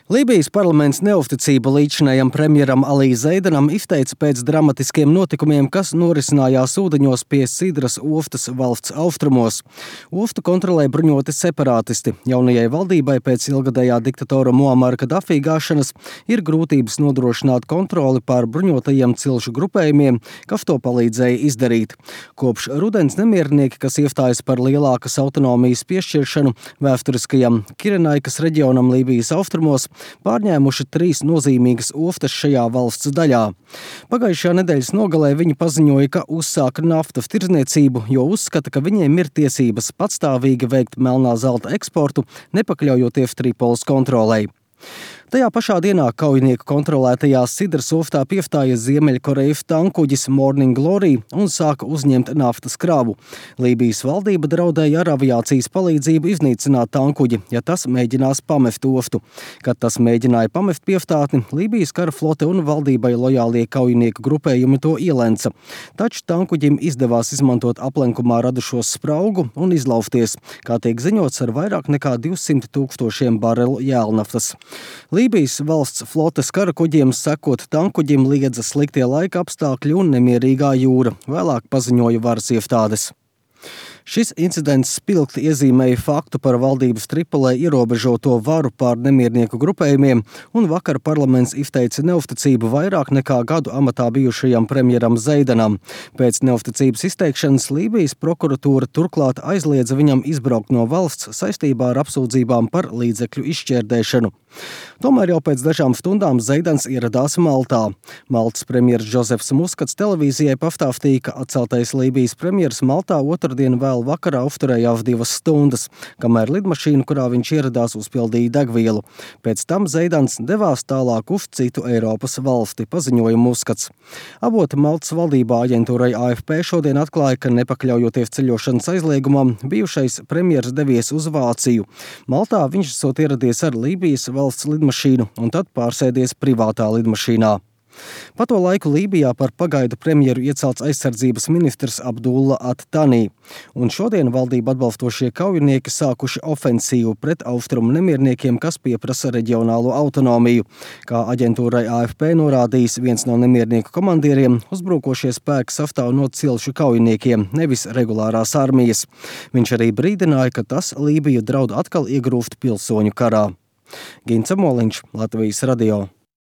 Lībijas parlaments neusticību līdzinājam premjeram Alī Zeidanam izteica pēc dramatiskiem notikumiem, kas norisinājās ūdeņos pie Sidras ostas valsts austrumos. Ostu kontrolē bruņoti separātisti. Jaunajai valdībai pēc ilgadējā diktatora Muamara Kadafī gāšanas ir grūtības nodrošināt kontroli pār bruņotajiem cilšu grupējumiem, kas to palīdzēja izdarīt. Kopš rudens nemiernieki, kas iestājas par lielākas autonomijas piešķiršanu vēsturiskajam Kirenaikas reģionam Lībijas austrumos, pārņēmuši 3 nozīmīgas ostas šajā valsts daļā. Pagājušajā nedēļas nogalē viņi paziņoja, ka uzsāka naftas tirdzniecību, jo uzskata, ka viņiem ir tiesības patstāvīgi veikt melnā zelta eksportu, nepakļaujoties Tripolis kontrolei. Tajā pašā dienā kaujinieku kontrolētajā Sidras ostā piestāja Ziemeļkorejas tankuģis Morning Glory un sāka uzņemt naftas kravu. Lībijas valdība draudēja ar aviācijas palīdzību iznīcināt tankuģi, ja tas mēģinās pamest ostu. Kad tas mēģināja pamest piestātni, Lībijas kara flote un valdībai lojālie kaujinieku grupējumi to ielenca. Taču tankuģim izdevās izmantot aplenkumā radušos spraugu un izlausties, kā tiek ziņots, ar vairāk nekā 200 000 barelu jēlnaftas. Lībijas valsts flotes kara kuģiem sekot tankuģim liedza sliktie laika apstākļi un nemierīgā jūra, vēlāk paziņoja varas iestādes. Šis incidents spilgti iezīmēja faktu par valdības Tripolē ierobežoto varu pār nemiernieku grupējumiem, un vakar parlaments izteica neusticību vairāk nekā gadu amatā bijušajam premjeram Zeidanam. Pēc neusticības izteikšanas Lībijas prokuratūra turklāt aizliedza viņam izbraukt no valsts saistībā ar apsūdzībām par līdzekļu izšķērdēšanu. Tomēr jau pēc dažām stundām Zeidans ieradās Maltā. Maltas premjers Džozefs Muskats televīzijai pastāstīja, ka atceltais Lībijas premjers Maltā otrdien vēl vakarā uzturējās 2 stundas, kamēr lidmašīna, kurā viņš ieradās, uzpildīja degvielu. Pēc tam Zeidans devās tālāk uz citu Eiropas valsti, paziņoja Muskats. Avoti Maltas valdībā aģentūrai AFP šodien atklāja, ka nepakļaujoties ceļošanas aizliegumam, bijušais premjers devies uz Vāciju. Maltā viņš esot ieradies ar Lībijas valsts lidmašīnu un tad pārsēdies privātā lidmašīnā. Pa to laiku Lībijā par pagaidu premjeru iecelts aizsardzības ministrs Abdulla At-Tanī, un šodien valdību atbalstošie kaujinieki sākuši ofensīvu pret austrumu nemierniekiem, kas pieprasa reģionālo autonomiju. Kā aģentūrai AFP norādījis viens no nemiernieku komandieriem, uzbrukošie spēki sastāv no cilšu kaujiniekiem, nevis regulārās armijas. Viņš arī brīdināja, ka tas Lībiju draud atkal iegrūst pilsoņu karā. Gints Amoliņš, Latvijas radio.